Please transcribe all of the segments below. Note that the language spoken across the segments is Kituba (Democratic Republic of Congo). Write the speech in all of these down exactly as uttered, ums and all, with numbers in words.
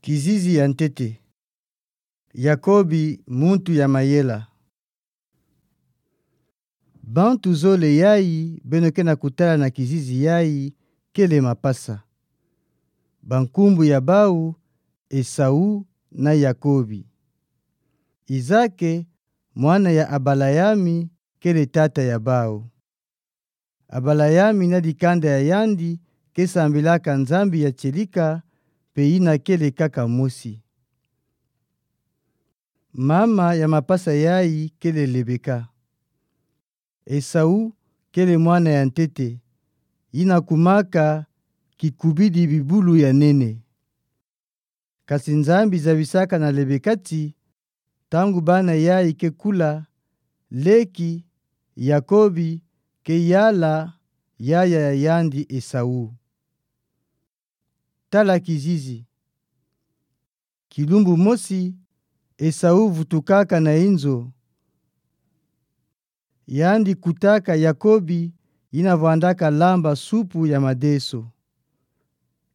Kizizi ya ntete. Yakobi, muntu ya mayela. Bantu zole yayi beno kena kutala na kizizi yayi kele mapasa. Bankumbu ya bau, Esau na Yakobi. Izake, mwana ya Abalayami, kele tata ya bau. Abalayami na dikanda ya yandi kesambilaka Nzambi ya tielika, mpe yina kele kaka mosi. Mama ya mapasa yayi kele Lebeka. Esau kele mwana ya ntete, yina kumaka kikubidi bibulu ya nene. Kasi Nzambi zabisaka na Lebeka ti, ntangu bana yayi ke kula, leki Yakobi ke yala yaya ya yandi Esau. Tala kizizi. Kilumbu mosi, Esau vutukaka na inzo. Yandi kutaka Yakobi, yina vwandaka lamba supu ya madeso.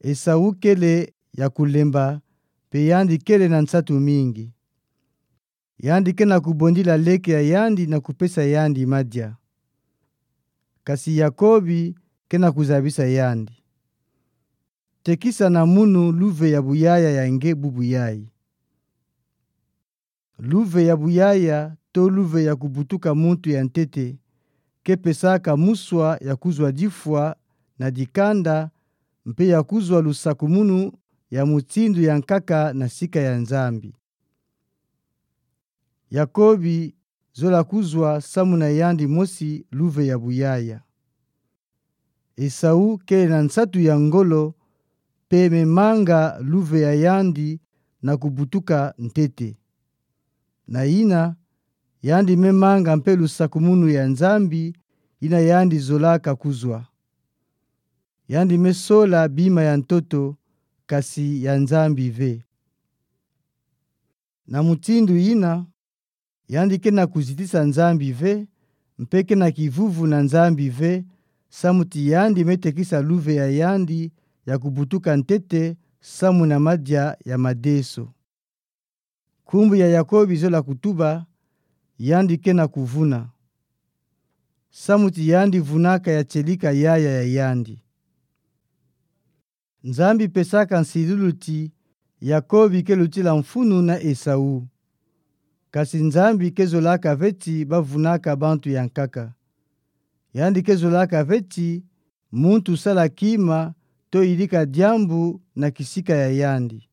Esau kele ya kulemba, mpe yandi kele na nsatu mingi. Yandi kena kubondila leki ya yandi na kupesa yandi madia. Kasi Yakobi kena kuzabisa yandi. Tekisa na munu luve ya buyaya ya nge bubu yayi. Luve ya buyaya to luve ya kubutuka muntu ya ntete, ke pesaka muswa ya kuzwa difwa na dikanda, mpe ya kuzwa lusakumunu ya mutindu ya nkaka na sika ya Nzambi. Yakobi zola kuzwa samu na yandi mosi luve ya buyaya. Esau kele na nsatu ya ngolo, mpe me manga luve ya yandi na kubutuka ntete. Na yina, yandi me manga mpe lusakumunu ya Nzambi, yina yandi zolaka kuzwa. Yandi me sola bima ya ntoto, kasi ya Nzambi ve. Na mutindu yina, yandi kena kuzitisa Nzambi ve, mpe kena kivuvu na Nzambi ve, samu ti yandi me tekisa luve ya yandi ya kubutuka ntete samu na madia ya madeso. Nkumbu ya Yakobi zola kutuba, yandi kena kuvuna. Samu ti yandi vunaka ya tielika yaya ya yandi. Nzambi pesaka nsilulu ti Yakobi ke lutila mfunu na Esau. Kasi Nzambi ke zolaka ve ti bavunaka bantu ya nkaka. Yandi ke zolaka ve ti muntu sala kima to yidika diambu na kisika ya yandi.